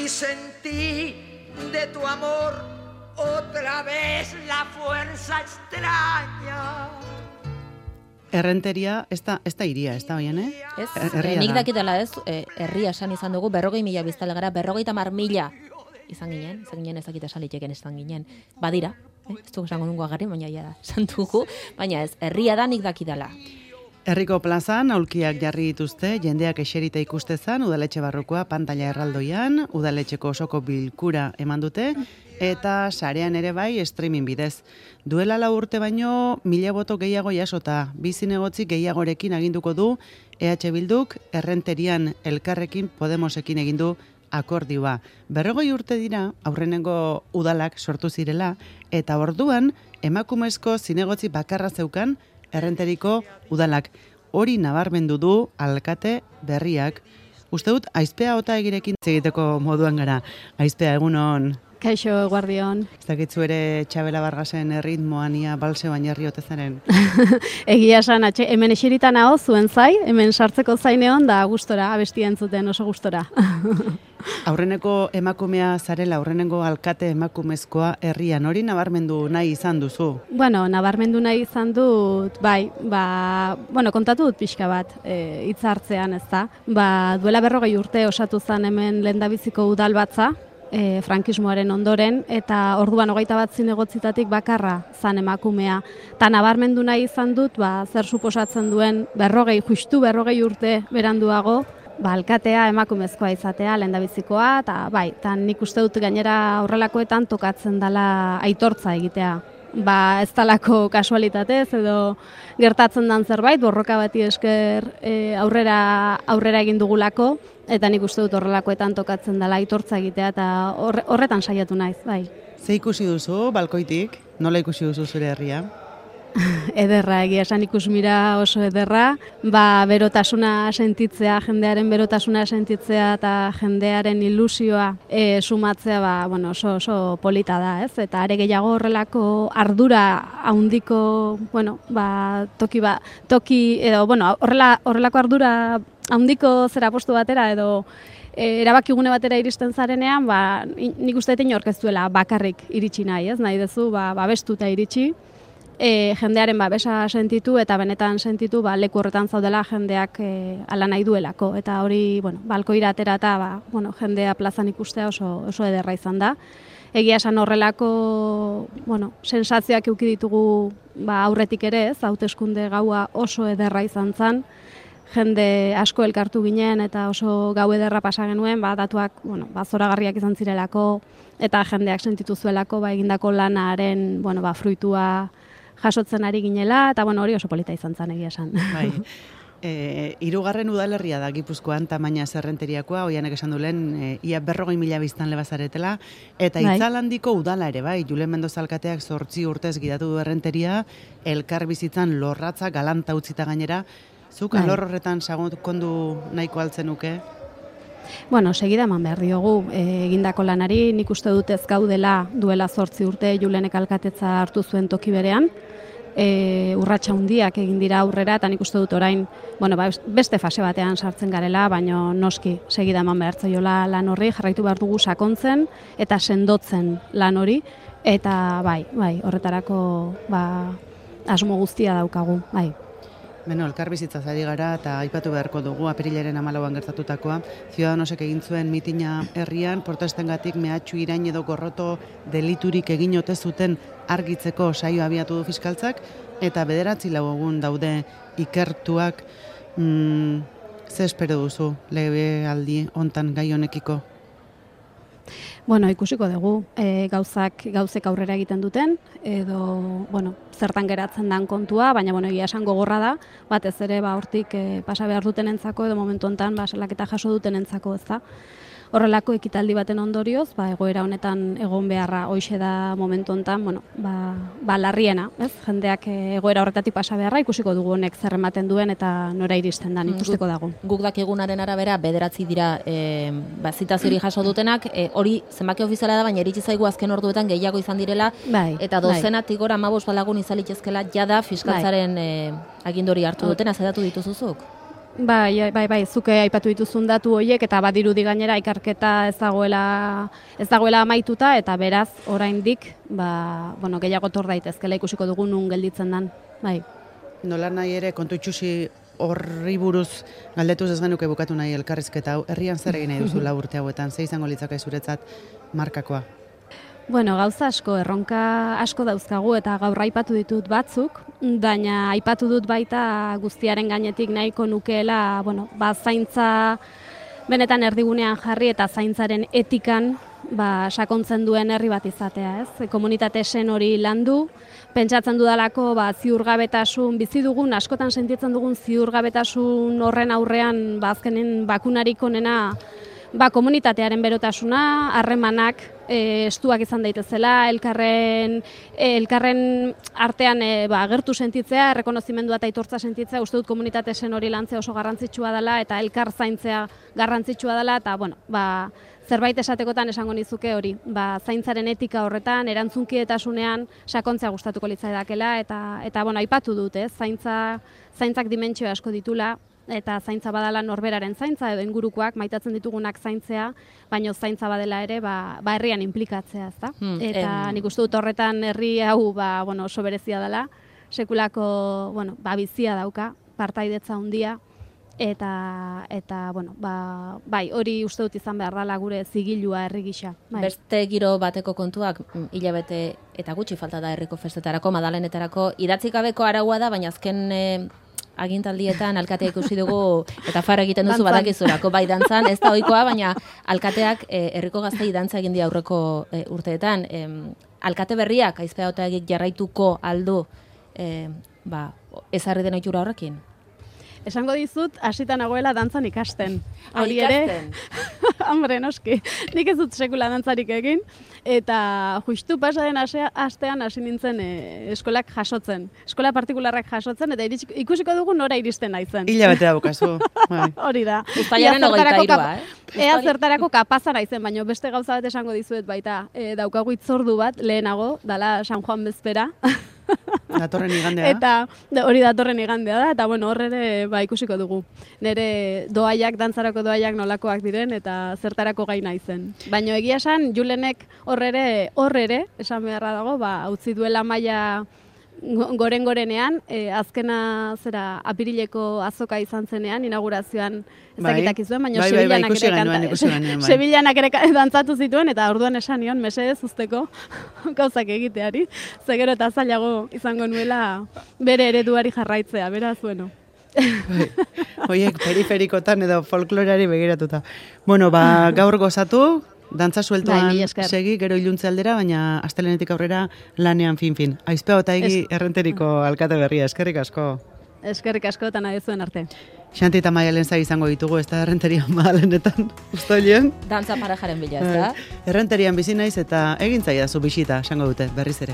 y sentí de tu amor otra vez la fuerza extraña. Errenteria, ez da iria, ez da hoien, Ez, nik dakitela ez, herria esan izan dugu, 40.000 biztale gara, 50.000 izan ginen ezakita saliteken izan ginen. Badira, ez dugu esango dungo agarri, baina ja da, esan dugu, baina ez, herria da nik dakidala. Herriko plazan aulkiak jarri dituzte, jendeak eserita ikustezan, udaletxe barrukoa pantalla erraldoian, udaletxeko osoko bilkura eman dute, eta sarean ere bai streaming bidez. Duela 4 urte baino 1000 boto gehiago jasota, bi zinegotzi gehiagorekin aginduko du EH Bilduk Errenterian Elkarrekin Podemosekin egin du akordioa. 40 urte dira aurrenengo udalak sortu zirela, eta orduan emakumezko zinegotzi bakarra zeukan Errenteriko udalak. Hori nabarmendu du alkate berriak. Uste dut, Aizpea Otaegirekin egiteko moduan gara. Aizpea, egunon. Kaixo, guardion. Ez dakitzu ere Txabela Bargasen erritmoan ia balseoan jarri otezaren. Egia esan, hemen esiritan hau zuen zai, hemen sartzeko zaineon, da gustora, abestia entzuten oso gustora. Aurreneko emakumea zarela, aurrenengo alkate emakumezkoa herrian, hori nabarmendu nahi izan duzu? Bueno, nabarmendu nahi izan dut, bai, kontatu dut pixka bat, hitz hartzean, ez da. Duela 40 urte osatu zen hemen lehendabiziko udal batza, frankismoaren ondoren, eta orduan 21 zinegotzitatik bakarra zan emakumea. Ta nabarmendu nahi izan dut, zer suposatzen duen justu 40 urte beranduago, alkatea emakumezkoa izatea, lehendabizikoa, eta bai, nik uste dut gainera horrelakoetan tokatzen dela aitortza egitea. Ez talako kasualitatez edo gertatzen dan zerbait, borroka bati esker aurrera egin dugulako, eta nik uste dut horrelakoetan tokatzen dela aitortza egitea, eta horretan saiatu naiz, bai. Ze ikusi duzu, balkoitik? Nola ikusi duzu zure herria? Ederra, egia esan ikusmira oso ederra, berotasuna sentitzea, jendearen berotasuna sentitzea eta jendearen ilusioa sumatzea, oso polita da, ez? Eta are gehiago horrelako ardura handiko, horrelako ardura handiko zera postu batera edo erabakigune batera iristen zarenean, nik uste dut inork ez duela bakarrik iritsi nahi, ez? Nahi duzu, babestuta iritsi. Jendearen babesa sentitu eta benetan sentitu leku horretan zaudela jendeak ala nahi duelako. Eta hori, balkoira atera eta jendea plazan ikustea oso ederra izan da. Egia esan horrelako sensazioak eduki ditugu aurretik ere, ez, hauteskunde gaua oso ederra izan zen. Jende asko elkartu ginen eta oso gau ederra pasa genuen, datuak zoragarriak izan zirelako eta jendeak sentitu zuelako egindako lanaren fruitua jasotzen ari ginela, eta hori oso polita izan zen egia esan. Bai. 3. udalerria da Gipuzkoan tamaina Errenteriakoa, oianek esan du lehen, ia 40.000 biztanle bazaretela, eta Itzalandiko udala ere, bai, Julen Mendoza alkateak 8 urtez gidatu du Errenteria, elkar bizitzan lorratza galanta utzita gainera, zuk alor horretan sakondu nahiko altzen nuke? Segida eman behar diogu egindako lanari, nik uste dut ez gaudela duela 8 urte Julenek alkatetza hartu zuen toki berean, urratsa handiak egin dira aurrera, eta nik uste dut orain, beste fase batean sartzen garela, baina noski segida eman behar zaiola lan horri, jarraitu behar dugu sakontzen eta sendotzen lan hori, eta bai, horretarako asmo guztia daukagu, bai. Elkar bizitzaz ari gara eta aipatu beharko dugu apirilaren 14an gertatutakoa. Ciudadanosek egin zuen mitina herrian, protestengatik mehatxu, irain edo gorroto deliturik egin ote zuten argitzeko saio abiatu du fiskaltzak, eta 9 egun daude ikertuak. Ze espero duzu legealdi hontan gai honekiko? Ikusiko dugu, gauzek aurrera egiten duten, edo, zertan geratzen dan kontua, baina, egia esan gogorra da, batez ere, hortik pasa behar dutenentzako, edo momentu hontan, salaketa jaso dutenentzako, ez da. Horrelako ekitaldi baten ondorioz, egoera honetan egon beharra hoixe da momentu hontan, larriena, ez? Jendeak egoera horretatik pasa beharra, ikusiko dugu honek zer ematen duen eta nora iristen dan, ikusteko dago. Guk dakigunaren arabera 9 dira zitaziori jaso dutenak, hori zenbaki ofiziala da, baina iritsi zaigu azken orduetan gehiago izan direla, eta dozenatik gora 15 lagun izalitezkela jada fiskaltzaren agindori hartu dutena, zedatu dituzuzuk? Bai, zuke aipatu dituzun datu horiek eta badirudi gainera ikerketa ez dagoela amaituta eta beraz oraindik gehiago tor daitezkela ikusiko dugu nun gelditzen dan. Bai. Nola nahi ere kontu itxusi horri buruz galdetuz ez genuke bukatu nahi elkarrizketa hau. Herrian zer egin nahi duzu urte hauetan? Ze izango litzake zuretzat markakoa? Bueno, gauza asko, erronka asko dauzkagu eta gaur aipatu ditut batzuk, baina aipatu dut baita guztiaren gainetik nahiko nukeela, zaintza benetan erdigunean jarri eta zaintzaren etikan sakontzen duen herri bat izatea, ez? Komunitate sen hori landu, pentsatzen dudalako ziurgabetasun bizi dugun, askotan sentitzen dugun ziurgabetasun horren aurrean azkenen bakunarik onena komunitatearen berotasuna, harremanak estuak izan daitezela, elkarren artean agertu sentitzea, errekonozimendua eta aitortza sentitzea, uste dut komunitate sen hori lantzea oso garrantzitsua dela eta elkar zaintzea garrantzitsua dela eta zerbait esatekotan esango nizuke hori, zaintzaren etika horretan, erantzunkietasunean sakontzea gustatuko litzaidakela eta aipatu dut, zaintzak dimentsio asko ditula. Eta zaintza badala norberaren zaintza edo ingurukoak maitatzen ditugunak zaintzea, baina zaintza badela ere herrian implikatzea, ezta? Eta nik uste dut horretan herri hau oso berezia dela, sekulako bizia dauka, partaidetza handia eta hori uste dut izan behar dela gure zigilua herri gisa. Beste giro bateko kontuak hilabete eta gutxi falta da herriko festetarako, madalenetarako idatzik gabeko araua da, baina azken agintaldietan alkatea ikusi dugu eta farra egiten duzu badakizurako bai dantzan, ez da ohikoa, baina alkateak herriko gaztei dantza egin die aurreko urteetan. Alkate berriak Aizpea Otaegik jarraituko aldu ezarri den ohitura horrekin? Esango dizut, hasita nagoela dantzan ikasten. Hori ere, hombre, noski, nik ez dut sekula dantzarik egin, eta justu pasaren astean hasi nintzen eskolak jasotzen. Eskola partikularrak jasotzen, eta ikusiko dugu nora iristen naizen. Hilabete daukazu. Hori da. Uztailaren 23, Ea zertarako kapaza naizen, baina beste gauza bat esango dizuet baita, daukagu hitzordu bat lehenago, dala San Juan bezpera. Datorren igandea. Eta hori datorren igandea da, eta hor ere ikusiko dugu. Nire dantzarako doaiak nolakoak diren, eta zertarako gai naizen. Baina egia esan, Julenek hor ere, esan beharra dago, utzi duela maila gorenean, azkena apirileko azoka izan zenean, inaugurazioan ezakitak izuen, baina Sevillanak ere dantzatu zituen, eta orduan esan nion, mesedez usteko gauzak egiteari, zegero eta zailago izango nuela bere ereduari jarraitzea, beraz, Hoiek periferikotan edo folkloreari begiratuta. Gaur gozatu, dantza sueltoan segi, gero iluntze aldera, baina astelenetik aurrera lanean fin. Aizpea Otaegi Errenteriko alkate berria, eskerrik asko. Eskerrik asko eta nahi zuen arte. Xanti eta Maialen zai izango ditugu, ez da Errenterian Madalenetan, ustoilean. Dantza parejaren bila, ez da? Errenterian bizi naiz eta egin zaidazu bisita, esango dute, berriz ere.